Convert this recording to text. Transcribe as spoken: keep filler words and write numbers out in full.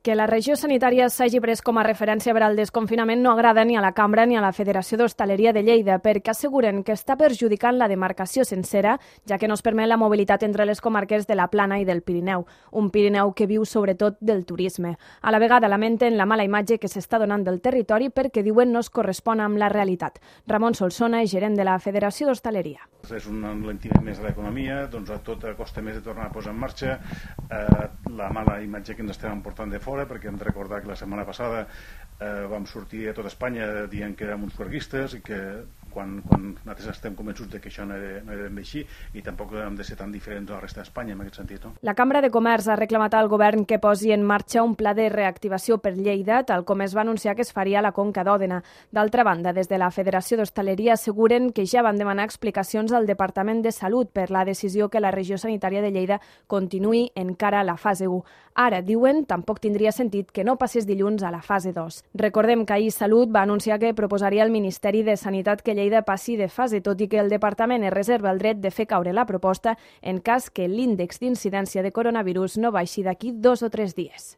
Que la regió sanitària s'hagi pres com a referència per al desconfinament no agrada ni a la Cambra ni a la Federació d'Hostaleria de Lleida, perquè asseguren que està perjudicant la demarcació sencera, ja que no es permet la mobilitat entre les comarques de la Plana i del Pirineu, un Pirineu que viu sobretot del turisme. A la vegada lamenten la mala imatge que s'està donant del territori perquè diuen no es correspon amb la realitat. Ramon Solsona, gerent de la Federació d'Hostaleria. És un enlentiment més de l'economia, doncs a tot costa més de tornar a posar en marxa, eh, la mala imatge que ens estem portant de fora, perquè hem de recordar que la setmana passada eh, vam sortir a tot Espanya dient que érem uns fuerguistes i que quan, quan nosaltres estem convençuts de que això no era, no era ben bé així i tampoc hem de ser tan diferents de la resta d'Espanya en aquest sentit. No? La Cambra de Comerç ha reclamat al govern que posi en marxa un pla de reactivació per Lleida, tal com es va anunciar que es faria a la Conca d'Òdena. D'altra banda, des de la Federació d'Hostaleria asseguren que ja van demanar explicacions al Departament de Salut per la decisió que la regió sanitària de Lleida continuï encara a la fase u. Ara, diuen, tampoc tindria sentit que no passés dilluns a la fase dos. Recordem que ahir Salut va anunciar que proposaria al Ministeri de Sanitat que Lleida passi de fase, tot i que el departament es reserva el dret de fer caure la proposta en cas que l'índex d'incidència de coronavirus no baixi d'aquí dos o tres dies.